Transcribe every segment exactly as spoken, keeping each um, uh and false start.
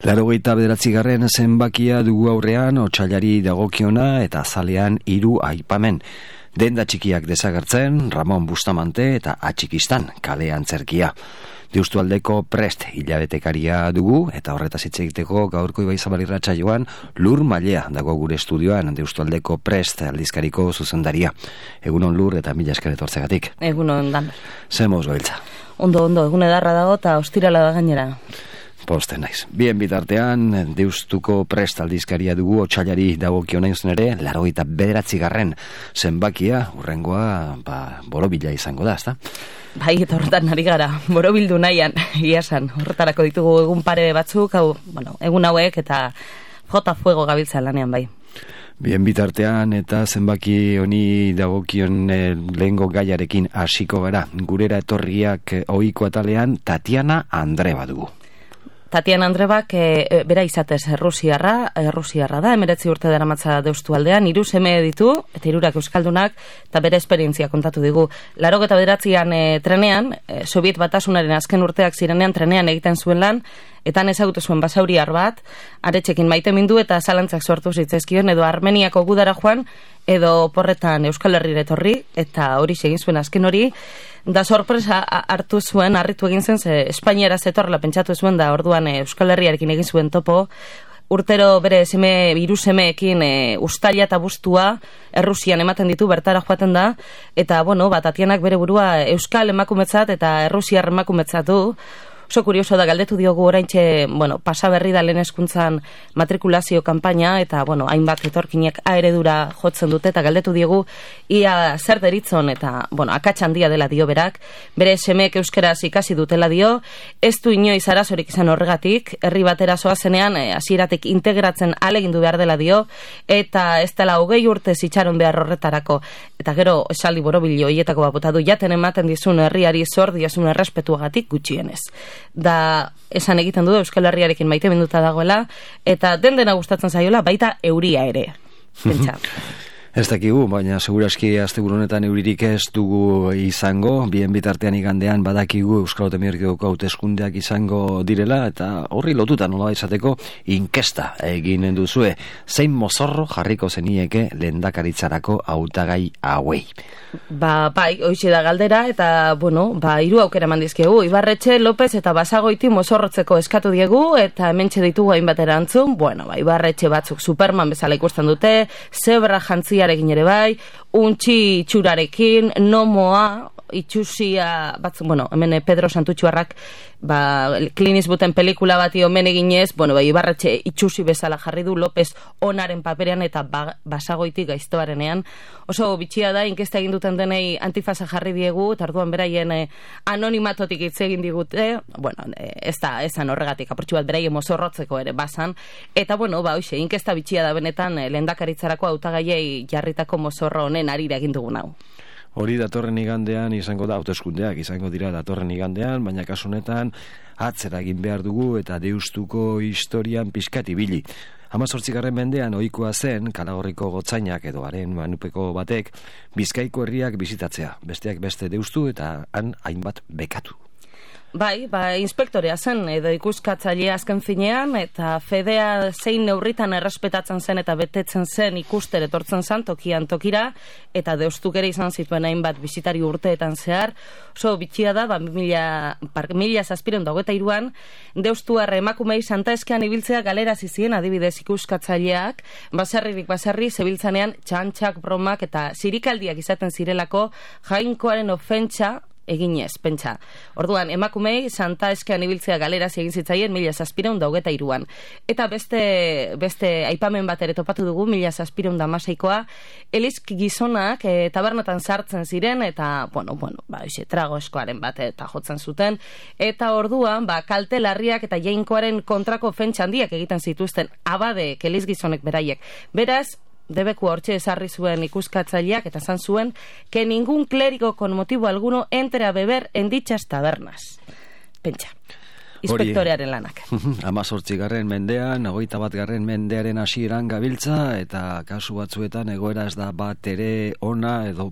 Laurogeita bederatzigarren zenbakia dugu aurrean, otsailari dagokiona eta azalean hiru aipamen. Denda txikiak desagertzen, Ramon Bustamante eta Atxikistan kale antzerkia. Deustualdeko Prest hilabetekaria dugu eta horretaz hitz egiteko gaurko Ibaizabal irratsaioan Lur Mailea dago gure estudioan, Deustualdeko Prest aldizkariko zuzendaria. Egunon Lur eta mila esker etortzegatik. Egunon Dan. Zemoz gabiltza. Ondo, ondo, egun edarra dago eta ostirala da gainera. Posten naiz. Bien bitartean, Deustuko Prest aldizkaria dugu, otsailari dagokiona izan ere, laurogeita bederatzigarren zenbakia, urrengoa, ba, borobila izango da, ezta? Bai, eta horretan ari gara, borobildu nahian, iasan, horretarako ditugu egun pare batzuk, hau, bueno, egun hauek eta jota fuego gabiltza lanean, bai. Bien bitartean eta zenbaki honi dagokion eh, lehengo gaiarekin hasiko gara. Gurera etorriak ohiko atalean Tatiana Andreba dugu. Tatiana Andrebak e, bera izatez errusiarra, errusiarra da, emeretzi urte daramatza Deustualdean, hiru seme ditu, eta hirurak euskaldunak, eta bere esperientzia kontatu digu. Laurogeta bederatzian e, trenean, e, Sobiet Batasunaren azken urteak zirenean trenean egiten zuen lan, eta han ezagutu zuen basauriar bat, aretxekin maite mindu eta zalantzak sortu zitzaizkion, edo Armeniako gudara joan, edo porretan Euskal Herrira etorri, eta hori egin zuen azken hori, da sorpresa hartu zuen, harritu egin zen, ze Espainiara zetorrela pentsatu zuen, da orduan Euskal Herriarekin egin zuen topo, urtero bere seme, hiru semeekin e, ustaila eta bustua Errusian ematen ditu, bertara joaten da, eta, bueno, bat Tatianak bere burua Euskal emakumetzat eta Errusiar emakumetzat du. Oso kurioso da, galdetu diogu oraintxe, bueno, pasa berri da lehen hezkuntzan matrikulazio kanpaina, eta, bueno, hainbat etorkinek A eredura jotzen dute, eta galdetu diogu ia zer deritzon, eta, bueno, akats handia dela dio berak, bere semeek euskeraz ikasi dutela dio, ez du inoiz arazorik izan horregatik, herri batera zoazenean, hasieratik integratzen ahalegindu behar dela dio, eta ez dela hogei urte zitxaron behar horretarako, eta gero esaldi borobilio hietako bapota du, jaten ematen dizun herriari zor diazun errespetuagatik gutxienez. Da esan egiten du Euskal Herriarekin maite minduta dagoela, eta den dena gustatzen zaiola, baita euria ere. Pentsa. Ez dakigu, baina seguraski asteburu honetan euririk ez dugu izango, bien bitartean igandean badakigu Euskal Autonomiako hauteskundeak izango direla, eta horri lotuta nola izateko inkesta egin duzue. Zein mozorro jarriko zenieke lehendakaritzarako hautagai hauei? Ba, bai, hoixe da galdera, eta, bueno, ba, hiru aukera eman dizkigu. Ibarretxe, López eta Basagoiti mozorrotzeko eskatu diegu, eta hementxe ditugu hainbat erantzun. Bueno, ba, Ibarretxe batzuk Superman bezala ikusten dute, zebra jantziarekin ere bai, untxi itxurarekin, nomoa, itxusia batzuk, bueno, hemen Pedro Santutxuarrak, ba, Clint Eastwooden pelikula bati omen eginez, bueno, ba, Ibarretxe itxusi bezala jarri du, López onaren paperean eta ba, Basagoiti gaiztoarenean. Oso bitxia da, inkesta egin duten denei antifasa jarri diegu, eta orduan beraien eh, anonimatotik hitz egin digute, bueno, eh, ez da, ezan horregatik, apurtxu bat beraien mozorrotzeko ere bazan, eta bueno, ba, hoxe, inkesta bitxia da benetan eh, lehendakaritzarako hautagaiei jarritako mozorro honen arira egin dugun hau. Hori datorren igandean izango da, hauteskundeak izango dira datorren igandean, baina kasu honetan atzera egin behar dugu eta Deustuko historian pixkat ibili. Hamazortzigarren mendean ohikoa zen, Kalagorriko gotzainak edo haren manupeko batek, Bizkaiko herriak bizitatzea, besteak beste Deustu eta han hainbat bekatu. Bai, ba, inspektorea zen, edo ikuskatzailea azken finean, eta fedea zein neurritan errespetatzen zen eta betetzen zen ikuster etortzen zen tokian tokira, eta Deustuk ere izan zituen hainbat bisitari urteetan zehar. Oso bitxia da, ba, mila, mila zazpireun da hogeta iruan, Deustuar emakumei Santa Eskean ibiltzea galera zizien, adibidez ikuskatzaileak, baserririk baserri, zebiltzanean txantxak, bromak eta zirikaldiak izaten zirelako jainkoaren ofentsa eginez, pentsa. Orduan, emakumei Santa Eskean ibiltzea galeraz egin zitzaien mila zazpireun da hogeta iruan. Eta beste, beste aipamen bat ere topatu dugu, mila zazpireun da maseikoa, elizk gizonak e, tabernatan sartzen ziren, eta, bueno, bueno, ba, ose, trago eskoaren bat eta jotzen zuten, eta orduan, ba, kalte larriak eta jainkoaren kontrako ofentsa handiak egiten zituzten abade eliz gizonek beraiek. Beraz, debeku hortxe esarri zuen ikuskatzaileak eta zan zuen que ningún clérigo con motivo alguno entre a beber en dichas tabernas. Pentsa. inspektorearen lanak. Hamazortzigarren mendean, hogeita bat garren mendearen hasieran gabiltza, eta kasu batzuetan egoera ez da bat ere ona edo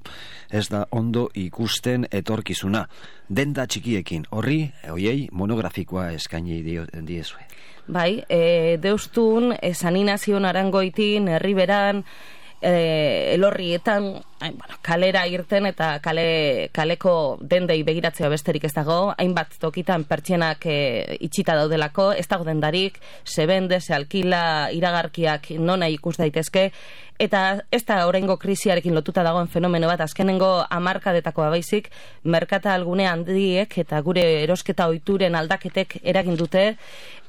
ez da ondo ikusten etorkizuna. Denda txikiekin, horri, hoiei monografikoa eskaini diezue. Bai, e, deustun, e, Saninazion Arangoitin, Herriberan, e, elorrietan, ai, bueno, kalera irten eta kale, kaleko dendei begiratzea besterik ez dago, hainbat tokitan pertsenak e, itxita daudelako, ez dago dendarik, se bende, se alkila, iragarkiak nona ikus daitezke, eta ez da oraingo krisiarekin lotuta dagoen fenomeno bat, azkenengo hamarkadetakoa baizik, merkata algune handiek eta gure erosketa ohituren aldaketek eragin dute,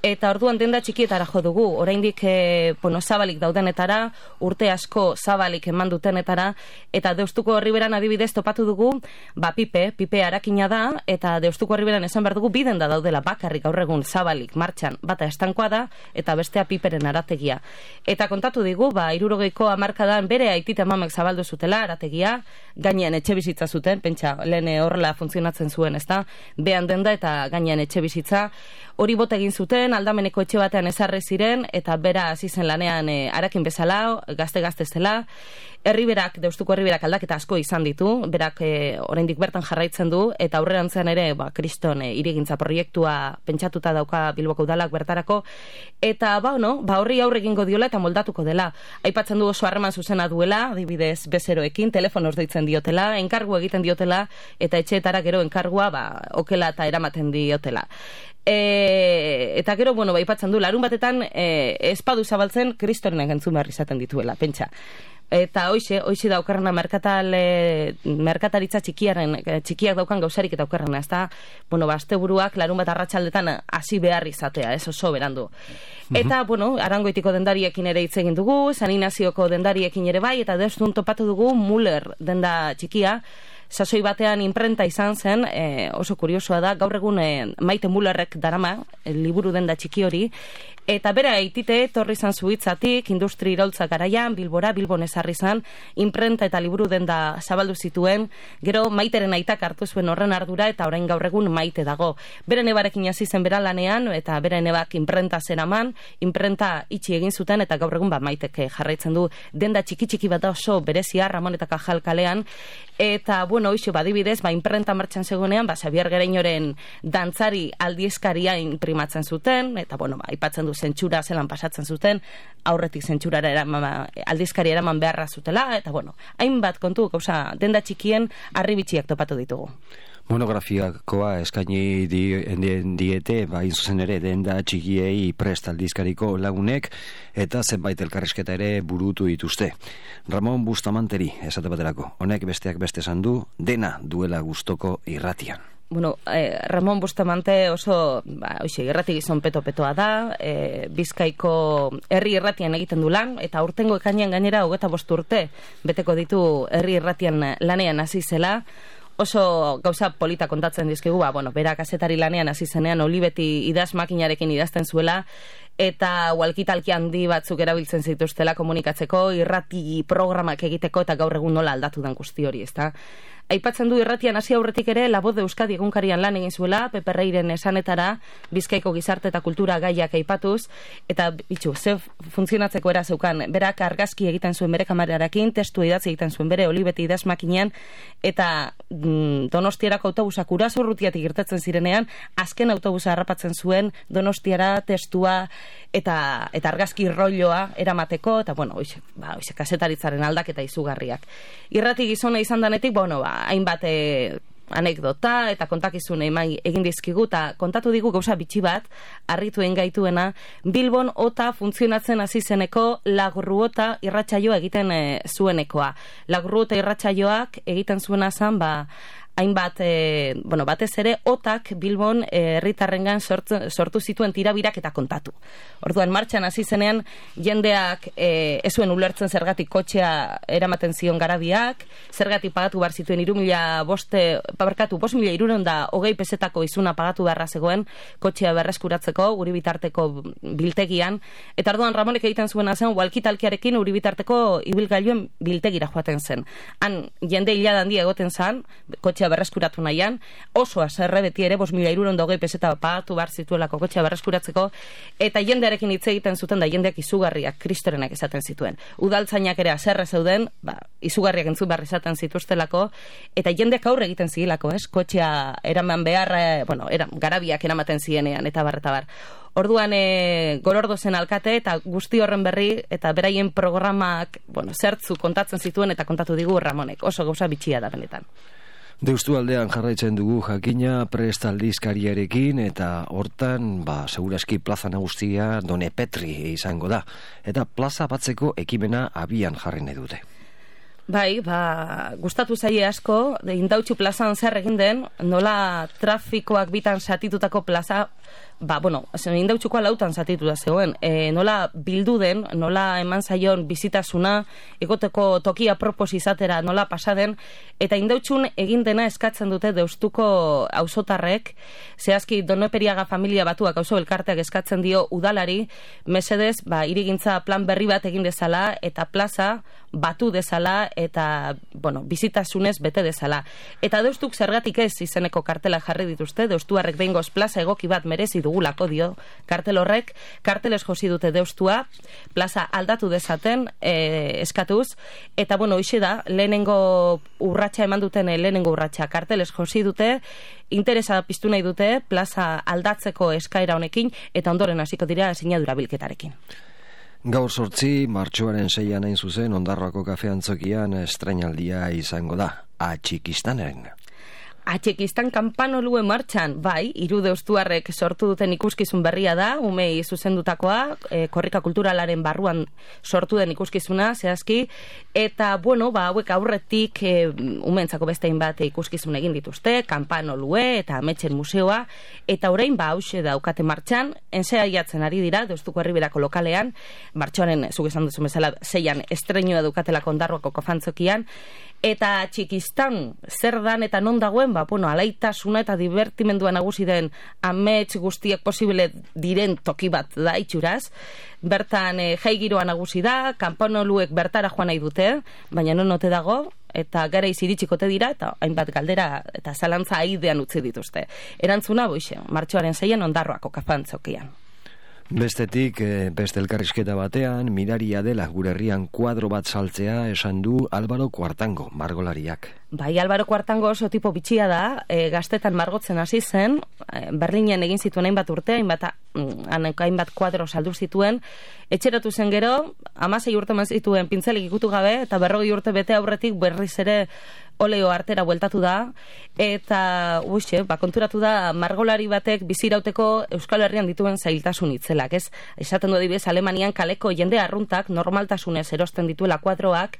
eta orduan denda txikietara jo dugu, oraindik e, bueno, zabalik daudenetara, urte asko zabalik eman dutenetara, eta Deustuko Herriberan adibidez topatu dugu, ba pipe, pipe arakina da, eta Deustuko Herriberan esan behar dugu biden da daudela bakarrik gaur egun zabalik martxan, bata estankoa da, eta bestea piperen arategia. Eta kontatu digu, ba hirurogeiko hamarkadan bere aitit amamek zabaldu zutela arategia, gainean etxe bizitza zuten, pentsa, lehen horrela funtzionatzen zuen, ezta, behan denda eta gainean etxe bizitza, hori bot egin zuten, aldameneko etxe batean ezarri ziren, eta bera hasi zen lanean e, arakin bezala, gazte-gazte zela, Herriberak, Deustuko Herriberak aldaketa asko izan ditu, berak e, oraindik bertan jarraitzen du, eta aurrerantzean ere, ba, kriston e, hirigintza proiektua pentsatuta dauka Bilboko udalak bertarako, eta ba, no, ba, horri aurre egingo diola eta moldatuko dela. Aipatzen du oso harreman zuzena duela, adibidez bezeroekin, telefonoz deitzen diotela, enkargu egiten diotela, eta etxeetara gero enkargua, ba, okela eta eramaten diotela. E, eta gero, bueno, ba, aipatzen du, larun batetan e, espadu zabaltzen kristorenak entzun behar izaten dituela, pentsa. Eta hoixe, hoixe daukarrena merkatal, e, merkataritza txikiaren, txikiak daukan gauzarik eta daukarrena, ez da, bueno, ba, asteburuak larun bat arratsaldetan hasi behar izatea, ez oso berandu. Eta, bueno, Arangoitiko dendariekin ere hitz egin dugu, Saninazioko dendariekin ere bai, eta Deustun topatu dugu Muller denda txikia, sasoi batean imprenta izan zen, e, oso kuriosoa da, gaur egun e, Maite Mullerrek darama, e, liburu denda txiki hori, eta bera eitite, torri izan zuitzatik, industri iraultza garaian, Bilbora, Bilbon ezarri izan, imprenta eta liburu denda zabaldu zituen, gero Maiteren aitak hartu zuen horren ardura, eta orain gaur egun Maite dago. Bere nebarekin hasi zen bera lanean, eta bere nebak imprenta zeraman, imprenta itxi egin zuten, eta gaur egun ba Maitek jarraitzen du denda txiki-txiki bat da oso berezia, Ramon eta Kajal kalean, eta bueno, hoxe, badibidez, ba, imprenta martxan zegoenean, ba, Xabier Gereñoren dantzari aldizkaria imprimatzen zuten, eta, bueno, ba, aipatzen du zentsura zelan pasatzen zuten, aurretik zentsurara eraman, aldizkari eraman beharra zutela, eta, bueno, hainbat kontu, gauza, denda txikien arribitxiak topatu ditugu. Monografiakoa eskaini di, diete, ba, zuzen ere, denda txikiei prest aldizkariko lagunek, eta zenbait elkarrizketa ere burutu dituzte. Ramon Bustamanteri, esate baterako, honek besteak beste esan du, dena duela gustoko irratian. Bueno, eh, Ramon Bustamante oso, ba, oixe, irrati gizon peto-petoa da, eh, Bizkaiko herri irratian egiten du lan, eta urtengo ekainean gainera hogeta bost urte beteko ditu herri irratian lanean hasi zela, oso gauza polita kontatzen dizkigu, ba, bueno, bera kazetari lanean hasi zenean Olibeti idaz makinarekin idazten zuela, eta walkitalki handi batzuk erabiltzen zituztela komunikatzeko, irrati programak egiteko, eta gaur egun nola aldatu den guzti hori, ezta? Aipatzen du irratian hasi aurretik ere La Voz de Euskadi egunkarian lan egin zuela, Pepe Reiren esanetara, Bizkaiko gizarte eta kultura gaiak aipatuz, eta bitxu, ze funtzionatzeko era zeukan, berak argazki egiten zuen bere kamerarakin, testu idatzi egiten zuen bere Olibeti idaz makinean, eta mm, Donostierako autobusak Urasorrutiatik irtetzen zirenean, azken autobusa harrapatzen zuen Donostiara testua eta eta argazki rolloa eramateko, eta bueno, oixe, ba, oixe, kasetaritzaren aldaketa izugarriak. Irrati gizona izan danetik, bueno, ba, hainbat e, anekdota eta kontakizun egin dizkigu, eta kontatu digu gauza bitxi bat, harrituen gaituena, Bilbon ota funtzionatzen hasi zeneko Lagurruota irratsaioa egiten e, zuenekoa. Lagurruota irratsaioak egiten zuena zen, ba, hainbat, e, bueno, batez ere, otak Bilbon herritarrengan sortu, sortu zituen tirabirak eta kontatu. Orduan, martxan hasi zenean, jendeak e, ez zuen ulertzen zergatik kotxea eramaten zion garabiak, zergatik pagatu behar zituen iru mila boste, pabarkatu, bost mila iruron da hogei pesetako izuna pagatu beharra zegoen, kotxea berreskuratzeko, uri bitarteko biltegian, eta orduan Ramonek egiten zuena zen, walkitalkiarekin uri bitarteko ibilgailuen biltegira joaten zen. Han, jende hilada handia egoten zen, kotxea kotxea berreskuratu nahian, oso aserre beti ere, bos mila hirurehun eta hogei peseta pagatu behar zituelako kotxea berreskuratzeko, eta jendearekin hitz egiten zuten da jendeak izugarriak kristorenak esaten zituen. Udaltzainak ere aserre zeuden, ba, izugarriak entzun behar izaten zituztelako, eta jendeak aurre egiten zigilako, ez? Kotxea eraman behar, bueno, era, garabiak eramaten zienean, eta bar, eta bar. Orduan e, Gorordo zen alkate eta guzti horren berri eta beraien programak, bueno, zertzu kontatzen zituen eta kontatu digu Ramonek. Oso gauza bitxia da benetan. Deustu aldean jarraitzen dugu jakina prest aldizkariarekin eta hortan, ba, seguraski plaza nagusia Done Petri izango da. Eta plaza batzeko ekimena abian jarri nahi dute. Bai, ba, gustatu zaie asko, Indautxu plazan zer egin den, nola trafikoak bitan satitutako plaza, ba, bueno, Indautxukoa lautan satituta zegoen, e, nola bildu den, nola eman zaion bizitasuna, egoteko tokia propos izatera nola pasaden, eta Indautxun egin dena eskatzen dute Deustuko auzotarrek, zehazki Donoperiaga familia batuak auzo elkarteak eskatzen dio udalari, mesedez, ba, hirigintza plan berri bat egin dezala, eta plaza batu dezala, eta, bueno, bizitasunez bete dezala. Eta Deustuk zergatik ez izeneko kartela jarri dituzte, Deustuarrek behingoz plaza egoki bat merezi dugulako dio kartel horrek, karteles josi dute Deustua, plaza aldatu dezaten e, eskatuz, eta, bueno, hoxe da, lehenengo urratsa eman duten, lehenengo urratsa karteles josi dute, interesa piztu nahi dute, plaza aldatzeko eskaera honekin, eta ondoren hasiko dira sinadura bilketarekin. Gaur sortzi, martxoaren seian hain zuzen, Ondarroako kafeantzokian estreinaldia izango da, Atxikistanen. Atxikistan kanpanolue martxan, bai, hiru deustuarrek sortu duten ikuskizun berria da, umei zuzendutakoa, e, korrika kulturalaren barruan sortu den ikuskizuna, zehazki, eta, bueno, ba, hauek aurretik e, umeentzako bestein bat ikuskizun egin dituzte, kanpanolue eta ametxen museoa, eta orain, ba, hause daukate martxan, enzea iatzen ari dira, Deustuko Herriberako lokalean, martxoaren, zuk esan duzu bezala, zeian estreinua dukatelako Ondarroako kafantzokian, eta Txikistan zer dan eta non dagoen, ba, bueno, alaitasuna eta divertimendua nagusi den amets guztiak posible diren toki bat da itxuraz. Bertan e, jai giroa nagusi da, kanpanoluek bertara joan nahi dute, baina non ote dago, eta gara iziritsikote dira, eta hainbat galdera eta zalantza aidean utzi dituzte. Erantzuna, boixe, martxoaren zeian Ondarroako kafantzokian. Bestetik, beste elkarrizketa batean, miraria dela gure herrian kuadro bat saltzea esan du Álvaro Kuartango, margolariak. Bai, Álvaro Kuartango oso tipo bitxia da, e, gaztetan margotzen hasi zen, e, Berlinen egin zituen hainbat urte, hainbat, hainbat kuadro saldu zituen, etxeratu zen gero, hamasei urte eman zituen pintzelik ikutu gabe, eta berrogei urte bete aurretik berriz ere oleo artera bueltatu da, eta uixe, ba, konturatu da margolari batek bizirauteko Euskal Herrian dituen zailtasun itzelak, ez? Esaten du adibidez, Alemanian kaleko jende arruntak normaltasunez erosten dituela kuadroak,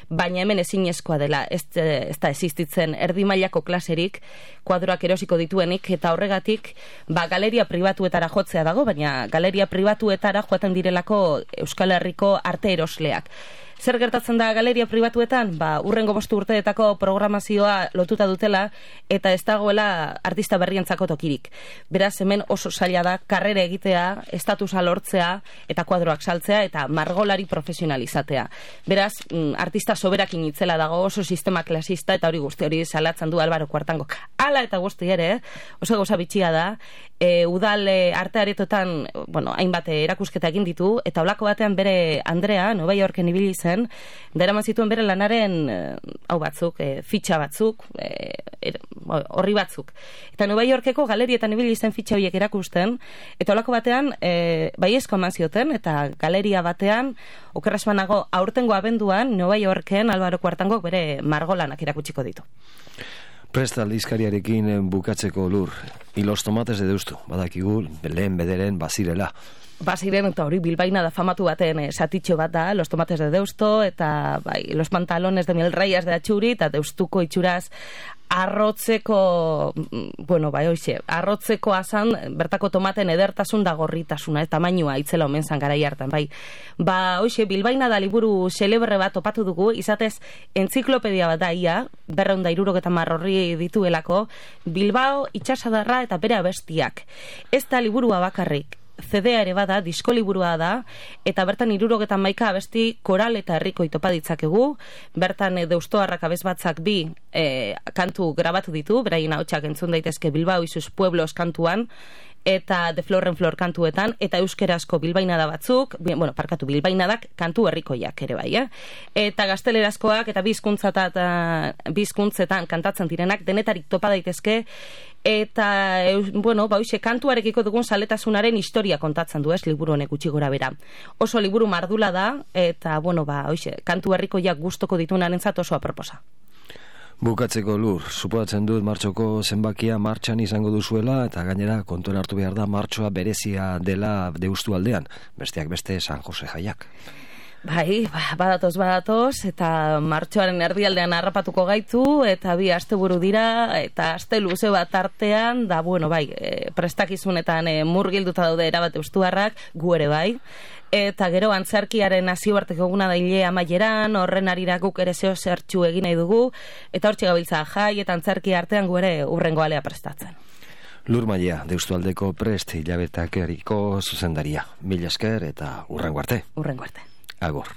baina hemen ezinezkoa dela, ez, ez da existitzen erdi mailako klaserik kuadroak erosiko dituenik, eta horregatik, ba, galeria pribatuetara jotzea dago, baina galeria pribatuetara joaten direlako Euskal Herriko arte erosleak. Zer gertatzen da galeria pribatuetan? Ba, urrengo bostu urteetako programazioa lotuta dutela eta ez dagoela artista berrientzako tokirik. Beraz, hemen oso zaila da karrera egitea, estatusa lortzea eta kuadroak saltzea eta margolari profesionalizatea. Beraz, artista soberakin itzela dago, oso sistema klasista eta hori guzti hori salatzen du Álvaro Kuartango. Hala eta guzti ere, oso gauza bitxia da, e, udal e, arte aretotan, bueno, hainbat erakusketa egin ditu, eta holako batean bere Andrea, Nova Yorken ibili zen, deraman zituen bere lanaren hau batzuk, e, fitxa batzuk, e, er, horri batzuk. Eta Nova Yorkeko galerietan ibili zen fitxa horiek erakusten, eta holako batean e, baiezko eman zioten, eta galeria batean, okerrasmanago aurtengo abenduan, Nova Yorken Álvaro Kuartangok bere margolanak erakutsiko ditu. Presta aldizkariarekin bukatzeko lur, y los tomates de Deustu, badakigu, lehen bederen bazirela. Baziren, eta hori bilbaina da famatu baten eh, satitxo bat da, los tomates de Deusto, eta bai, los pantalones de mil rayas de Atxuri, eta Deustuko itxuraz arrotzeko, bueno, bai, hoxe, arrotzeko azan, bertako tomaten edertasun da gorritasuna, eta tamainua itzela omen zan garai hartan, bai. Ba, hoxe, bilbaina da liburu celebre bat topatu dugu, izatez, entziklopedia bat da ia, berreun da irurogeta marrorri dituelako, Bilbao, itxasadarra eta bere abestiak. Ez da liburua bakarrik, C D-a ere bada, diskoliburua da, eta bertan hirurogeita hamaika abesti koral eta herriko itopa ditzakegu, bertan e, deustoarrak abesbatzak bi e, kantu grabatu ditu, beraien ahotsak entzun daitezke Bilbao y sus pueblos kantuan, eta De Flor en Flor kantuetan, eta euskerazko bilbainada batzuk, bueno, parkatu bilbainadak kantu herrikoiak ere bai, eh? Eta gaztelerazkoak eta bizkuntzatan, bizkuntzetan kantatzen direnak denetarik topa daitezke, eta, bueno, ba, hoxe, kantuarekiko dugun saletasunaren historia kontatzen du, ez, liburu honek gutxi gora bera. Oso liburu mardula da, eta, bueno, ba, hoxe, kantu herrikoiak gustoko ditunarentzat oso aproposa. Bukatzeko Lur, supoatzen dut martxoko zenbakia martxan izango duzuela eta gainera kontuan hartu behar da martxoa berezia dela Deustu aldean, besteak beste San Jose jaiak. Bai, badatoz, badatoz, eta martxoaren erdialdean harrapatuko gaitu, eta bi asteburu dira, eta aste luze bat artean, da, bueno, bai, e, prestakizunetan e, murgilduta daude erabat eustuarrak, gu ere bai, eta gero antzerkiaren nazioarteko eguna da hile amaieran, horren arira guk ere zeo zertxu egin nahi dugu, eta hortxe gabiltza jai eta antzerki artean gu ere urrengo alea prestatzen. Lur Maia, Deustualdeko Prest hilabetak eriko zuzendaria. Mila esker eta urrengo arte. Urrengo arte. Agor.